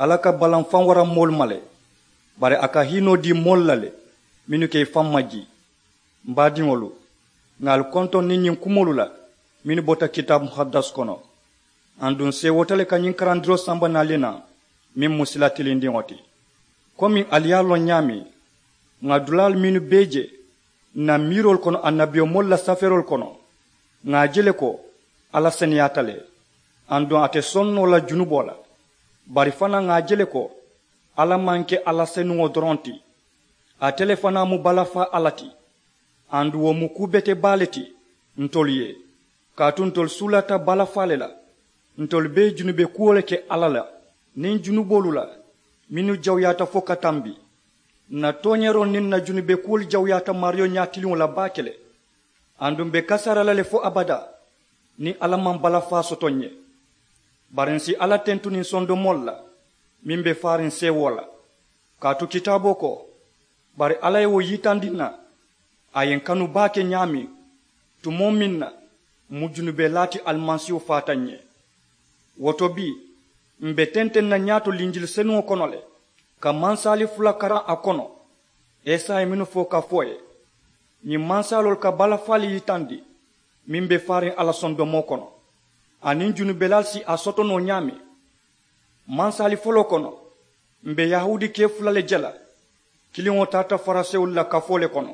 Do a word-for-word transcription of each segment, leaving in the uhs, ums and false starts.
Alla ka balaŋ faŋ wara moolu ma le, bari a ka hiinoo dii moolu la le mennu ka i faŋ majii. M baadiŋolu, ŋà ali kontoŋ niŋ ñiŋ kumoolu la mennu bota kitaabu muhaddas kono. Aduŋ seewoota le ka ñiŋ karandiroo samba naŋ ali ye naŋ, meŋ mu sila tilindiŋo ti. Komiŋ ali ye a loŋ ñaameŋ, ŋà dulaalu mennu bee je ǹ na miiroolu kono annabiyomoolu la safeeroolu kono, ŋà a je le ko alla seneyaata le. Aduŋ a te soŋ noo la junuboo la. Bari fanaa ŋà a je le ko alla maŋ ke alla senuŋo doroŋ ti. Ate le fanaa mu balafaa alla ti. Aduŋ wo mu kuu bete baa le ti ntolu ye. Kaatu ntolu suulata balafaa le la. Ntolu be junube kuwo le ke alla la niŋ junuboolu la mennu jawuyaata fo ka tambi. Ǹ na tooñeeroo niŋ ǹ na junube kuwolu jawuyaata maariyo ñaatiliŋo la baake le. Aduŋ m̀ be kasaara la le fo abadaa niŋ alla maŋ balafaa soto ǹ ye. Bari ǹ si alla tentu niŋ sondomoolu la meŋ be faariŋ seewoo la. Kaatu kitaaboo ko, bari alla ye wo yitandi ǹ na, a ye ǹ kanu baake ñaameŋ, tumoo meŋ na m̀ mu junubelaa ti alimasiihu faata ǹ ye. Wo to bii, m̀ be tenteŋ na ñaato linjili senuŋo kono le, ka mansaali fula karaŋ a kono. Esayi mennu fo ka fo ì ye, ñiŋ mansaaloolu ka balafaalu yitandi meŋ be faariŋ alla sondomoo kono, aniŋ junubelaalu si a soto noo ñaameŋ. Mansaali foloo kono, m̀ be yahuudi kee fula le je la. Kiliŋo taata farisewolu la kafoo le kono.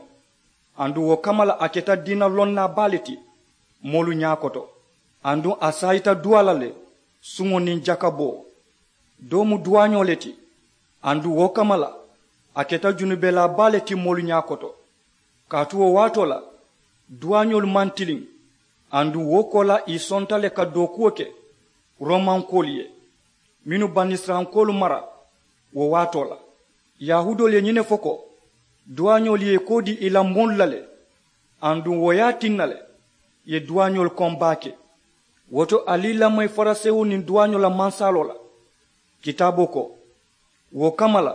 Aduŋ wo kamma la a keta diina lonnaa baa le ti moolu ñaakoto. Aduŋ a saayita duwaa la le, suŋo niŋ jakaboo. Doo mu duwaañoo le ti. Aduŋ wo kamma la a keta junubelaa baa le ti moolu ñaakoto. Kaatu wo waatoo la, duwaañoolu maŋ tiliŋ. Aduŋ wo koolaa ì sonta le ka dookuwo ke romankoolu ye mennu banisirayilankoolu mara. Wo waatoo la, yahuudoolu ye ñiŋ ne fo ko, duwaañoolu ye ì koo dii ì la moolu la le. Aduŋ wo ye a tinna le ì ye duwaañoolu koŋ baake. Wo to ali ì lamoyi farisewoo niŋ duwaañoo la mansaaloo la. Kitaaboo ko, wo kamma la,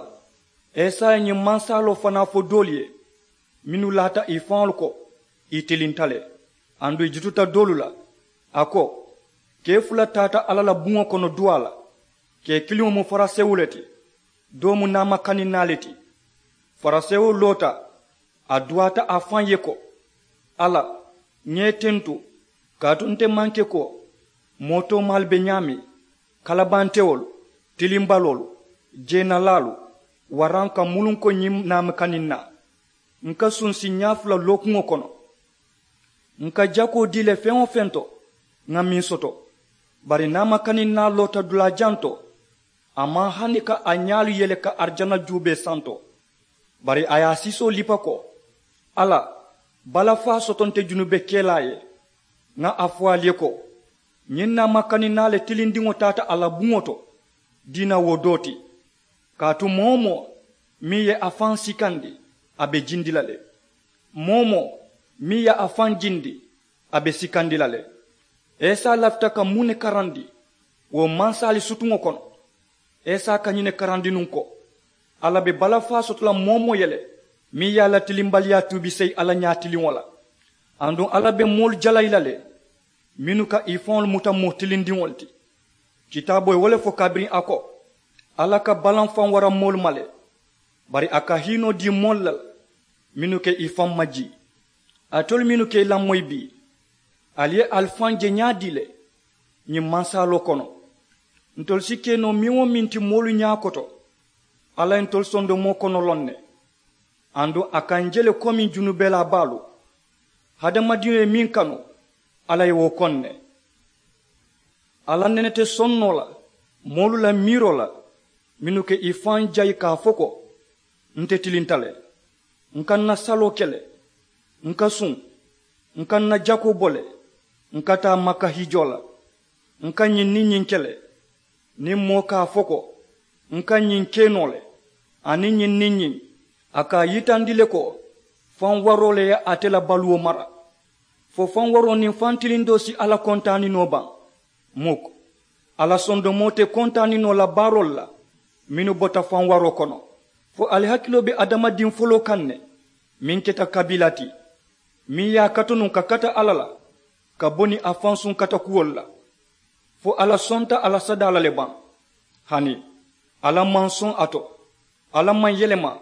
esayi ye ñiŋ mansaaloo fanaa fo doolu ye mennu laata ì faŋolu ko, ì tilinta le. Aduŋ ì jututa doolu la. A ko, kee fula taata alla la buŋo kono duwaa la. Kee kiliŋo mu farisewoo le ti, doo mu naamakaninnaa le ti. Farisewoo loota, a duwaata a faŋ ye ko, alla, ŋa i tentu, kaatu nte maŋ ke ko moo toomaalu be ñaameŋ, kalabantewolu, tilimbaloolu, jeenalaalu, waraŋ ka muluŋ ko ñiŋ naamakaninnaa. Ǹ ka suŋ si ñaa fula lookuŋo kono. Ǹ ka jakoo dii le feŋ-wo-feŋ to ŋa meŋ soto. Bari naamakaninnaa loota dulaa jaŋ to, a maŋ hani ka a ñaalu yele ka arijana juubee santo. Bari a ye a siisoo lipa ko, alla, balafaa soto nte junubekelaa ye. Ŋa a fo ali ye ko, ñiŋ naamakaninnaa le tilindiŋo taata a la buŋo to diina wo doo ti. Kaatu moo-wo-moo meŋ ye a faŋ sikandi, a be jindi la le. Moo-wo-moo meŋ ye a faŋ jindi, a be sikandi la le. Esayi lafita ka muŋ ne karandi wo mansaali sutuŋo kono? Esayi ka ñiŋ ne karandi nuŋ ko, alla be balafaa soto la moo-wo-moo ye le meŋ ye a la tilimbaliyaa tuubi seyi alla ñaatiliŋo la. Aduŋ alla be moolu jalayi la le mennu ka ì faŋolu muta moo tilindiŋolu ti. Kitaaboo ye wo le fo kabiriŋ a ko, alla ka balaŋ faŋ wara moolu ma le, bari a ka hiinoo dii moolu la le mennu ka ì faŋ majii. Alitolu mennu ka ì lamoyi bii, ali ye ali faŋ je ñaadii le ñiŋ mansaaloo kono? Ntolu si ke noo meŋ-wo-meŋ ti moolu ñaakoto, alla ye ntolu sondomoo kono loŋ ne. Aduŋ a ka ǹ je le komiŋ junubelaa baalu. Hadamadiŋo ye meŋ kanu, alla ye wo koŋ ne. Alla nene te soŋ noo la moolu la miiroo la mennu ka ì faŋ jayi ka a fo ko, nte tilinta le. Ǹ ka ǹ na saloo ke le, ǹ ka suŋ, ǹ ka ǹ na jakoo bo le, ǹ ka taa makka hijoo la, ǹ ka ñiŋ niŋ ñiŋ ke le. Niŋ moo ka a fo ko, ǹ ka ñiŋ ke noo le, aniŋ ñiŋ niŋ ñiŋ, a ka a yitandi le ko faŋ waroo le ye ate la baluwo mara. Fo faŋ waroo niŋ faŋ tilindoo si alla kontaaninoo baŋ? Muk. Alla sondomoo te kontaaninoo la baaroolu la mennu bota faŋ waroo kono. Fo ali hakiloo be hadamadiŋ foloo kaŋ ne meŋ keta kabiila ti, meŋ ye a kata nuŋ ka kata alla la ka bo niŋ a fansuŋ katakuwolu la. Fo alla sonta a la sadaa la le baŋ? Hani, Alla maŋ soŋ a to. Alla maŋ yelema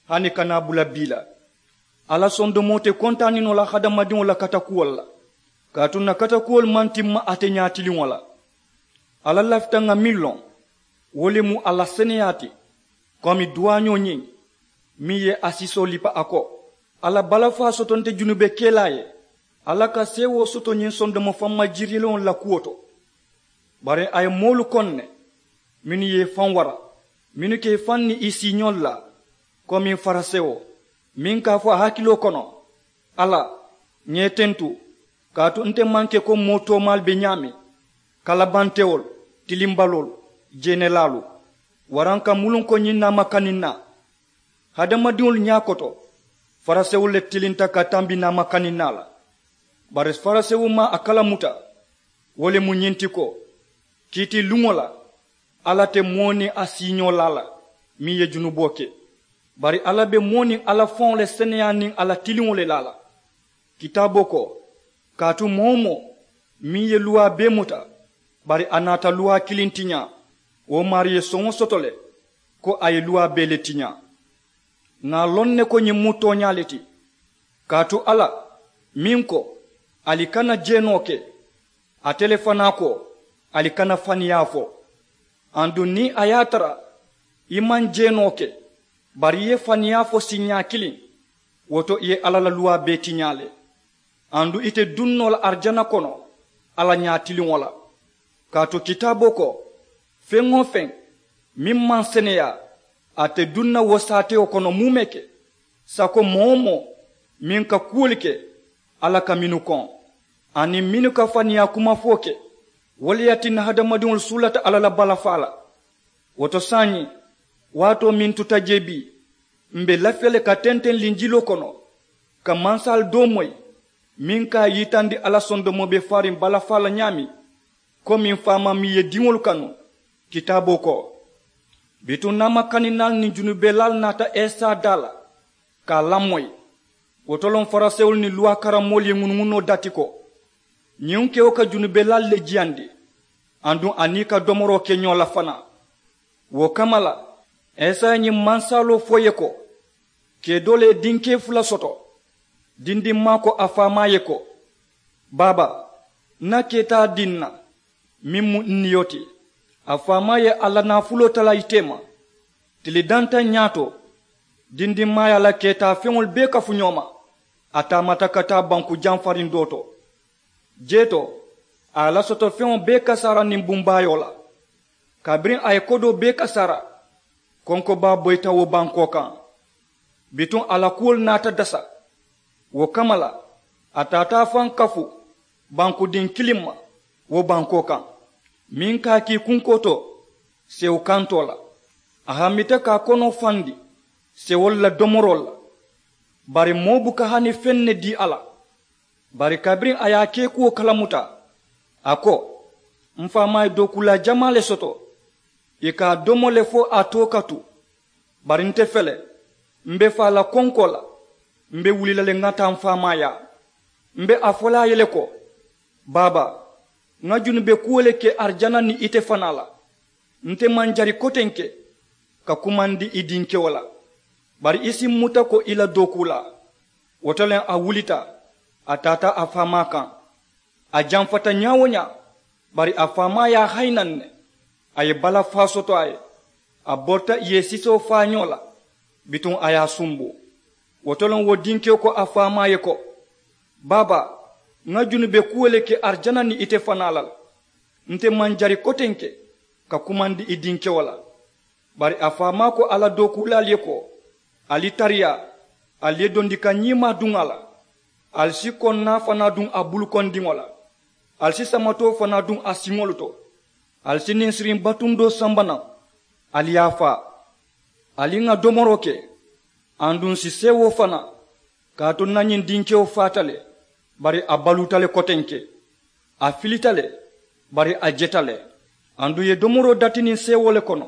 hani ka naa bula bii la. Alla sondomoo te kontaaninoo la hadamadiŋo la katakuwolu la, kaatu ǹ na katakuwolu maŋ timma ate ñaatiliŋo la. Alla lafita ŋà meŋ loŋ, wo le mu a la seneyaa ti. Komi duwaañoo ñiŋ meŋ ye a siisoo lipa a ko, a la balafaa soto nte junube kelaa ye. Alla ka seewoo soto ñiŋ sondomo famma jiriloŋolu la kuwo to. Bari a ye moolu koŋ ne mennu ye i faŋ wara, mennu ka i faŋ niŋ i siiñoolu laa, komi farisewo meŋ ka a fo a hakiloo kono, alla, ŋà i tentu, kaatu nte maŋ ke ko moo toomaalu be ñaameŋ, kalabantewolu, tilimbaloolu, jeenelaalu, waraŋ ka muluŋ ko ñiŋ naamakaninna. Hadamadiŋolu ñaakoto, farisewolu le tilinta ka tambi naamakaninna la. Bari farisewo maŋ a kalamuta. Wo le mu ñiŋ ti ko, kiitiluŋo la, alla te moo niŋ a siiñoo laa la meŋ ye junuboo ke. Bari alla be moo niŋ a la faŋo le seneyaa niŋ a la tiliŋo le laa la. Kitaaboo ko, kaatu moo-wo-moo meŋ ye luwaa bee muta, bari a naata luwaa kiliŋ tiñaa, wo maarii ye soŋo soto le ko a ye luwaa bee le tiñaa. Ŋà a loŋ ne ko ñiŋ mu tooñaa le ti. Kaatu alla meŋ ko, ali kana jeenoo ke, ate le fanaa ko, ali kana faniyaa fo. Aduŋ niŋ a ye a tara i maŋ jeenoo ke, bari i ye faniyaa fo siiñaa kiliŋ, wo to i ye alla la luwaa bee tiñaa le. Aduŋ ite duŋ noo la arijana kono alla ñaatiliŋo la. Kaatu kitaaboo ko, feŋ-wo-feŋ meŋ maŋ seneyaa, ate duŋ na wo saatewo kono muumee ke. Sako moo-wo-moo meŋ ka kuwolu ke, alla ka mennu koŋ, aniŋ mennu ka faniyaa kumafoo ke, wo le ye a tinna hadamadiŋolu suulata alla la balafaa la. Wo to saayiŋ, waatoo meŋ tuta jee bii, m̀ be lafiya le ka tenteŋ linjiloo kono, ka mansaalu doo moyi meŋ ka a yitandi alla sondomoo be faariŋ balafaa la ñaameŋ. Komi faamaa meŋ ye diŋolu kanu, kitaaboo ko, bituŋ naamakaninaalu niŋ junubelaalu naata esa daa la, ka a lamoyi. Wo to loŋ farisewolu niŋ luwaa karammoolu ye ŋunuŋunoo dati ko, ñiŋ kewo ka junubelaalu le jiyandi, aduŋ a niŋ i ka domoroo ke ñoo la fanaa. Wo kamma la, esa ye ñiŋ mansaaloo fo i ye ko, kee doo le ye dinkee fula soto. Dindimmaa ko a faamaa ye ko, baaba, ǹ na keetaa dii ǹ na, meŋ mu ǹ niyo ti. A faamaa ye a la naafuloo talaa ite ma. Tili dantaŋ ñaato, dindimmaa ye a la keetaa feŋolu bee kafu ñoo ma. A taamata ka taa banku jamfariŋ doo to. Jee to, a ye a la soto feŋo bee kasaara niŋ bumbaayoo la. Kabiriŋ a ye kodoo bee kasaara, konkobaa boyita wo bankoo kaŋ. Bituŋ a la kuwolu naata dasa. Wo kamma la, a taata a faŋ kafu bankudiŋ kiliŋ ma wo bankoo kaŋ, meŋ ka a kii kunkoo to sewo kantoo la. A hammita ka a konoo fandi sewolu la domoroolu la. Bari moo buka hani feŋ ne dii a la. Bari kabiriŋ a ye a keekuwo kalamuta, a ko, m faamaa ye dookuulaa jamaa le soto, ì ka a domo le fo a too ka tu. Bari nte fele, m be faa la konkoo la, m be wuli la le ŋà taa m faamaa yaa. M be a fo la a ye le ko, baaba, ŋà junube kuwo le ke arijana niŋ ite fanaa la. Nte maŋ jari kotenke ka kumandi i dinkewo la, bari i si m muta ko i la dookuulaa. Wo to le a wulita, a taata a faamaa kaŋ. A jamfata ñaa-wo-ñaa, bari a faamaa ye a hayi naŋ ne. A ye balafaa soto a ye, a borita ì ye sisoo faa ñoo la, bituŋ a ye a sumbu. Wo to le wo dinkewo ko a faamaa ye ko, baaba, ŋà junube kuwo le ke arijana niŋ ite fanaa la le. Nte maŋ jari kotenke ka kumandi i dinkewo la. Bari a faamaa ko a la dookuulaalu ye ko, ali tariyaa, ali ye dondika ñiimaa duŋ a la. Ali si konnaa fanaa duŋ a bulukondiŋo la. Ali si samatoo fanaa duŋ a siŋolu to. Ali si ninsiriŋ batundoo samba naŋ, ali ye a faa. Ali ŋà domoroo ke, aduŋ ǹ si seewoo fanaa. Kaatu ǹ na ñiŋ dinkewo faata le, bari a baluuta le kotenke. A filita le, bari a jeta le. Aduŋ ì ye domoroo dati niŋ seewoo le kono.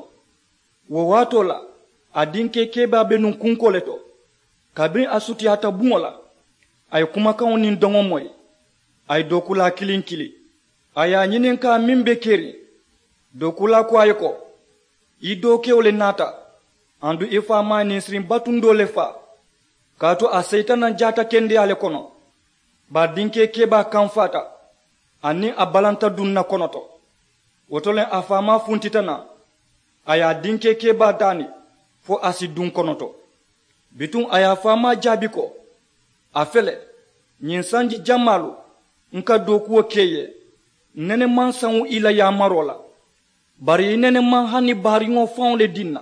Wo waatoo la, a dinkee kebaa be nuŋ kunkoo le to. Kabiriŋ a sutiyaata buŋo la, a ye kumakaŋo niŋ doŋo moyi. A ye dookuulaa kiliŋ kili, a ye a ñininkaa meŋ be keriŋ. Dookuulaa ko a ye ko, I dookewo le naata, aduŋ i faamaa ye ninsiriŋ batundoo le faa. Kaatu a seyita naŋ jaata kendeyaa le kono. Bari dinkee kebaa kamfaata, aniŋ a balanta duŋ na konoto. Wo to le a faamaa funtita naŋ, a ye a dinkee kebaa daani fo a si duŋ konoto. Bituŋ a ye a faamaa jaabi ko, a fele, ñiŋ sanji jamaalu n ka dookuwo ke i ye, n nene maŋ saŋu i la yaamaroo la. Bari i nene maŋ hani baariŋo faŋo le diŋ na,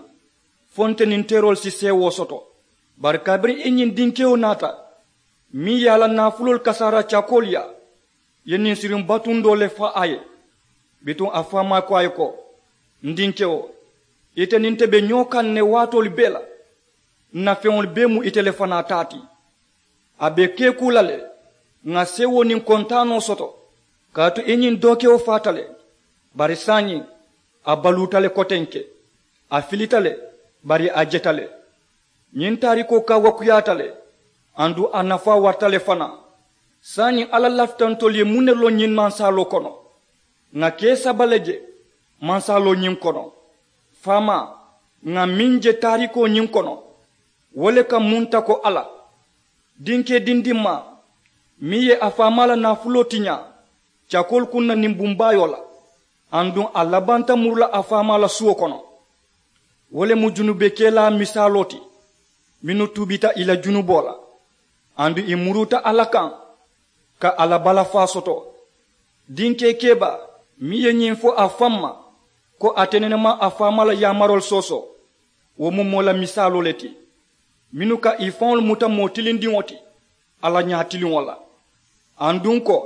fo nte niŋ teeroolu si seewoo soto. Bari kabiriŋ i ñiŋ dinkewo naata, meŋ ye a la naafuloolu kasaara cakoolu yaa, i ye ninsiriŋ batundoo le faa a ye. Bituŋ a faamaa ko a ye ko, n dinkewo, ite niŋ nte be ñoo kaŋ ne waatoolu bee la. N na feŋolu bee mu ite le fanaa taa ti. A be kekuu la le, ŋà seewoo niŋ kontaanoo soto. Kaatu i ñiŋ dookewo faata le, bari saayiŋ a baluuta le kotenke. A filita le, bari a jeta le. Ñiŋ taarikoo kawakuyaata le, aduŋ a nafaa warata le fanaa. Saayiŋ alla lafita ntolu ye muŋ ne loŋ ñiŋ mansaaloo kono? Ŋà kee saba le je mansaaloo ñiŋ kono. Faamaa, ŋà meŋ je taarikoo ñiŋ kono, wo le ka munta ko alla dinkee dindimmaa meŋ ye a faamaa la naafuloo tiñaa cakoolu kunna niŋ bumbaayoo la, aduŋ a labanta muru la a faamaa la suwo kono. Wo le mu junubekelaa misaaloo ti mennu tuubita ì la junuboo la, aduŋ ì muruuta alla kaŋ ka a la balafaa soto. Dinkee kebaa meŋ ye ñiŋ fo a faŋ ma ko ate nene maŋ a faamaa la yaamaroolu soosoo, wo mu moo la misaaloo le ti mennu ka ì faŋolu muta moo tilindiŋo ti alla ñaatiliŋo la, aduŋ ko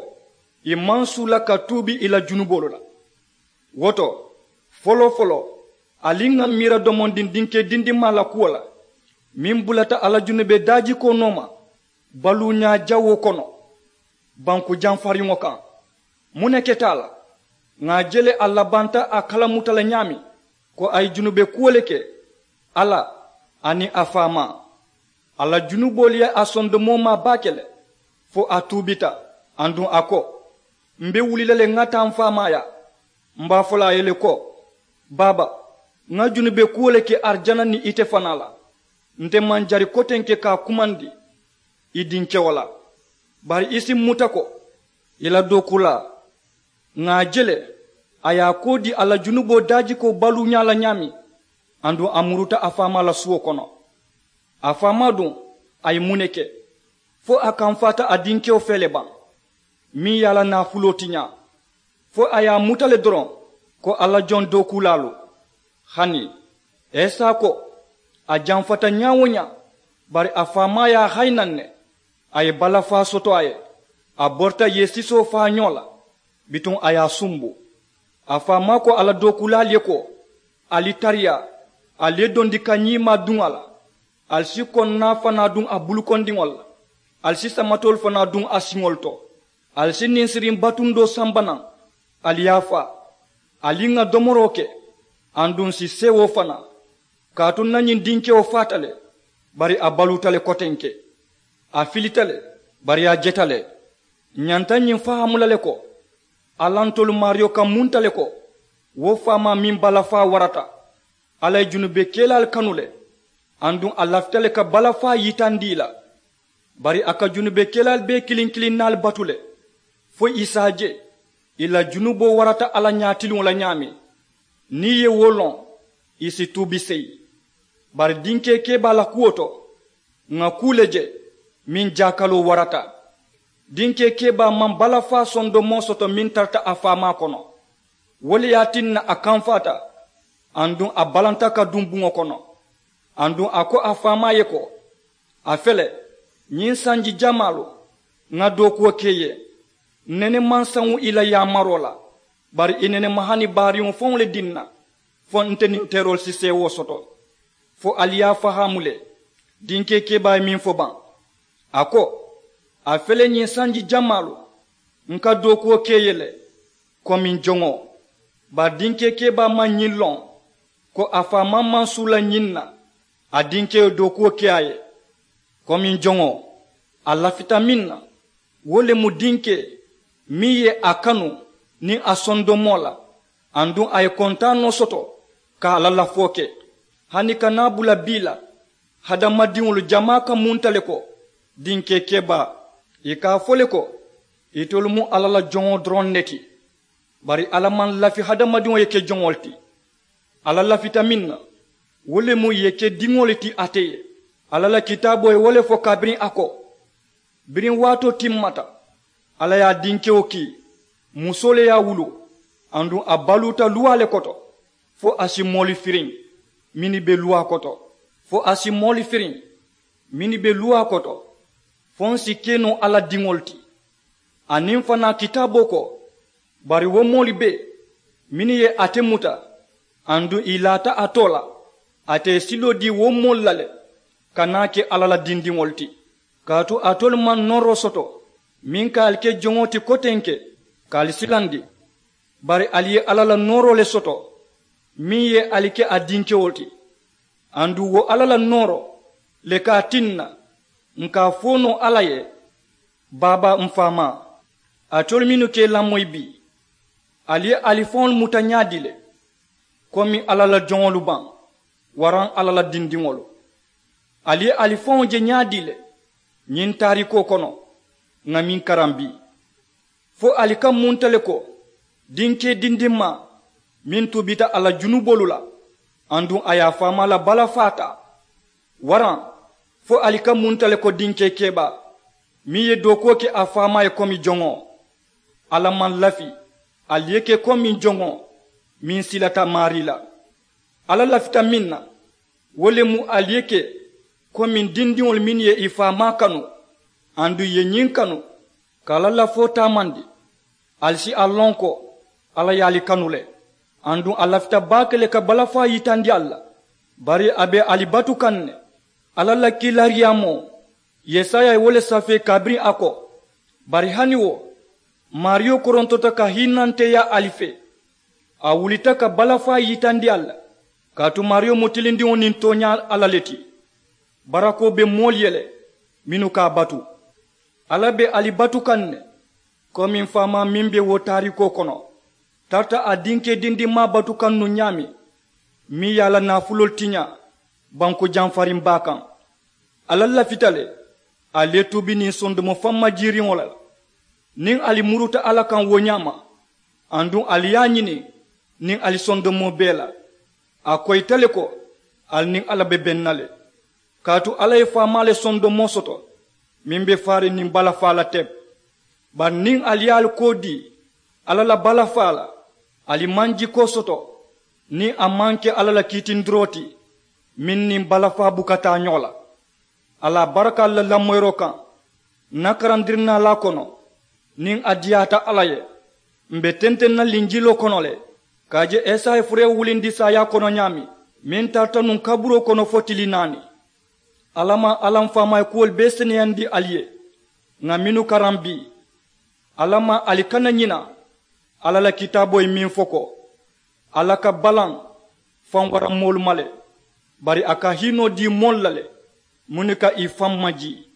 ì maŋ suula ka tuubi ì la junuboolu la. Wo to, foloo-foloo ali ŋà miira domondiŋ dinkee dindimmaa la kuwo la meŋ bulata a la junube daajikoo nooma baluuñaa jawoo kono banku jamfariŋo kaŋ. Muŋ ne keta a la? Ŋà a je le a labanta a kalamuta la ñaameŋ ko a ye junube kuwo le ke alla aniŋ a faamaa. A la junuboolu ye a sondomoo maa baake le fo a tuubita, aduŋ a ko, m̀ be wuli la le ŋà taa m̀ faamaa yaa. M̀ be a fo la a ye le ko, baaba, ŋà junube kuwo le ke arijana niŋ ite fanaa la. Nte maŋ jari kotenke ka a kumandi i dinkewo la. Bari i si m̀ muta ko i la dookuulaa. Ŋà a je le a ye a koo dii a la junuboo daajikoo baluuñaa la ñaameŋ, aduŋ a muruuta a faamaa la suwo kono. A faamaa duŋ, a ye muŋ ne ke fo a kamfaata a dinkewo fee le baŋ meŋ ye a la naafuloo tiñaa? Fo a ye a muta le doroŋ ko a la joŋ dookuulaalu. Hani esa ko a jamfata ñaa-wo-ñaa, bari a faamaa ye a hayi naŋ ne. A ye balafaa soto a ye, a borita yee sisoo faa ñoo la. Bituŋ a ye a sumbu. A faamaa ko a la dookuulaalu ye ko, ali tariyaa, ali ye dondi ka ñiimaa duŋ a la. Ali si konnaa fanaa duŋ a bulukondiŋolu la. Ali si samatoolu fanaa duŋ a siŋolu to. Ali si ninsiriŋ batundoo samba naŋ, ali ye a faa. Ali ŋà domoroo ke, aduŋ ǹ si seewoo fanaa. Kaatu ǹ na ñiŋ dinkewo faata le, bari a baluuta le kotenke. A filita le, bari a jeta le. Ǹ ñanta ñiŋ fahaamu la le ko, alla ntolu maariyo ka munta le ko, wo faamaa meŋ balafaa warata. Alla ye junubekelaalu kanu le, aduŋ a lafita le ka balafaa yitandi ì la. Bari a ka junubekelaalu bee kiliŋ kiliŋ naalu batu le, fo ì si a je ì la junuboo warata alla ñaatiliŋo la ñaameŋ. Niŋ ì ye wo loŋ, ì si tuubi seyi. Bari dinkee kebaa la kuwo to, ŋà kuu le je meŋ jaakaloo warata. Dinkee kebaa maŋ balafaa sondomoo soto meŋ tarata a faamaa kono. Wo le ye a tinna a kamfaata, aduŋ a balanta ka duŋ buŋo kono. Aduŋ a ko a faamaa ye ko, a fele, ñiŋ sanji jamaalu ŋà dookuwo ke i ye. Ǹ nene maŋ saŋu ì la yaamaroo la, bari ì nene maŋ hani baariŋo faŋo le diŋ na, fo nte niŋ teeroolu si seewoo soto. Fo ali ye a fahaamu le, dinkee kebaa ye meŋ fo baŋ. A ko, a fele ñiŋ sanji jamaalu ǹ ka dookuwo ke i ye le, komiŋ joŋo. Bari dinkee kebaa maŋ ñiŋ loŋ, ko a faamaa maŋ suula ñiŋ na a dinkee ye dookuwo ke a ye. Komiŋ joŋo, a lafita meŋ na, wo le mu dinkee meŋ ye a kanu niŋ a sondomoo la, aduŋ a ye kontaanoo soto ka a la lafoo ke. Hani ka naa bula bii la, hadamadiŋolu jamaa ka munta le ko, dinkee kebaa, ì ka a fo le ko, itolu mu alla la joŋo doroŋ ne ti. Bari alla maŋ lafi hadamadiŋo ye ke joŋo le ti. Alla lafita meŋ na, wo le mu ì ye ke diŋo le ti ate ye. Alla la kitaaboo ye wo le fo kabiriŋ a ko, biriŋ waatoo timmata, alla ye a dinkewo kii, musoo le ye a wuluu, aduŋ a baluuta luwaa le koto, fo a si moolu firiŋ mennu be luwaa koto, fo a si moolu firiŋ mennu be luwaa koto, fo ǹ si ke noo alla diŋolu ti. Aniŋ fanaa kitaaboo ko, bari wo moolu bee mennu ye ate muta, aduŋ ì laata a too la, ate ye siloo dii wo moolu la le, ka naa ke alla la dindiŋolu ti. Kaatu alitolu maŋ nooroo soto meŋ ka ali ke joŋo ti kotenke, ka ali silandi. Bari ali ye alla la nooroo le soto, meŋ ye ali ke a dinkewo ti. Aduŋ wo alla la nooroo le ka a tinna ǹ ka a fo noo alla ye, baaba, m faamaa, alitolu mennu ka ì lamoyi bii, ali ye ali faŋolu muta ñaadii le? Komi alla la joŋolu baŋ, waraŋ alla la dindiŋolu, ali ye ali faŋo je ñaadii le? Ñiŋ taariikoo kono ŋà meŋ karaŋ bii, fo ali ka munta le ko, dinkee dindimmaa meŋ tuubita a la junuboolu la, aduŋ a ye a faamaa la balafaa taa? Waraŋ fo ali ka munta le ko, dinkee kebaa meŋ ye dookuwo ke a faamaa ye komi joŋo? Alla maŋ lafi ali ye ke komi joŋo meŋ silata maarii la. Alla lafita meŋ na, wo le mu ali ye ke komi dindiŋolu mennu ye ì faamaa kanu, aduŋ ì ye ñiŋ kanu ka alla lafoo taamandi. Ali si a loŋ ko alla ye ali kanu le, aduŋ a lafita baake le ka balafaa yitandi ali la. Bari a be ali batu kaŋ ne. Alla la kiilaariyaamoo, yesaya ye wo le safee kabiriŋ a ko, bari hani wo, maariyo korontota ka hiinanteeyaa ali fee, a wulita ka balafaa yitandi ali la. Kaatu maariyo mu tilindiŋo niŋ tooñaa alla le ti. Barakoo be moolu ye le mennu ka a batu. Alla be ali batu kaŋ ne, komi m faamaa meŋ be wo taariikoo kono tarata a dinkee dindimmaa batu kaŋ nuŋ ñaameŋ, meŋ ye a la naafuloolu tiñaa banku jamfariŋ baa kaŋ. Alla lafita le ali ye tuubi niŋ sondomo fammajiiriŋo la. Niŋ ali muruta alla kaŋ wo ñaama, aduŋ ali ye a ñini niŋ ali sondomoo bee la, a koyita le ko ali niŋ alla be beŋ na le. Kaatu alla ye faamaa le sondomoo soto meŋ be faariŋ niŋ balafaa la teŋ. Bari niŋ ali ye ali koo dii alla la balafaa la, ali maŋ jikoo soto niŋ a maŋ ke alla la kiitindiroo ti meŋ niŋ balafaa buka taa ñoo la. Alla a baraka ali la lamoyiroo kaŋ. N na karandirinaalaa kono, niŋ a diyaata alla ye, m̀ be tenteŋ na linjiloo kono le ka a je esaya furee wulindi saayaa kono ñaameŋ, meŋ tarata nuŋ kaburoo kono fo tili naani. Alla maŋ alla m faamaa ye kuwolu bee seneyandi ali ye ŋà mennu karaŋ bii. Alla maŋ ali kana ñina alla la kitaaboo ye meŋ fo ko, alla ka balaŋ faŋ wara moolu ma le, bari a ka hiinoo dii moolu la le mennu ka ì faŋ majii.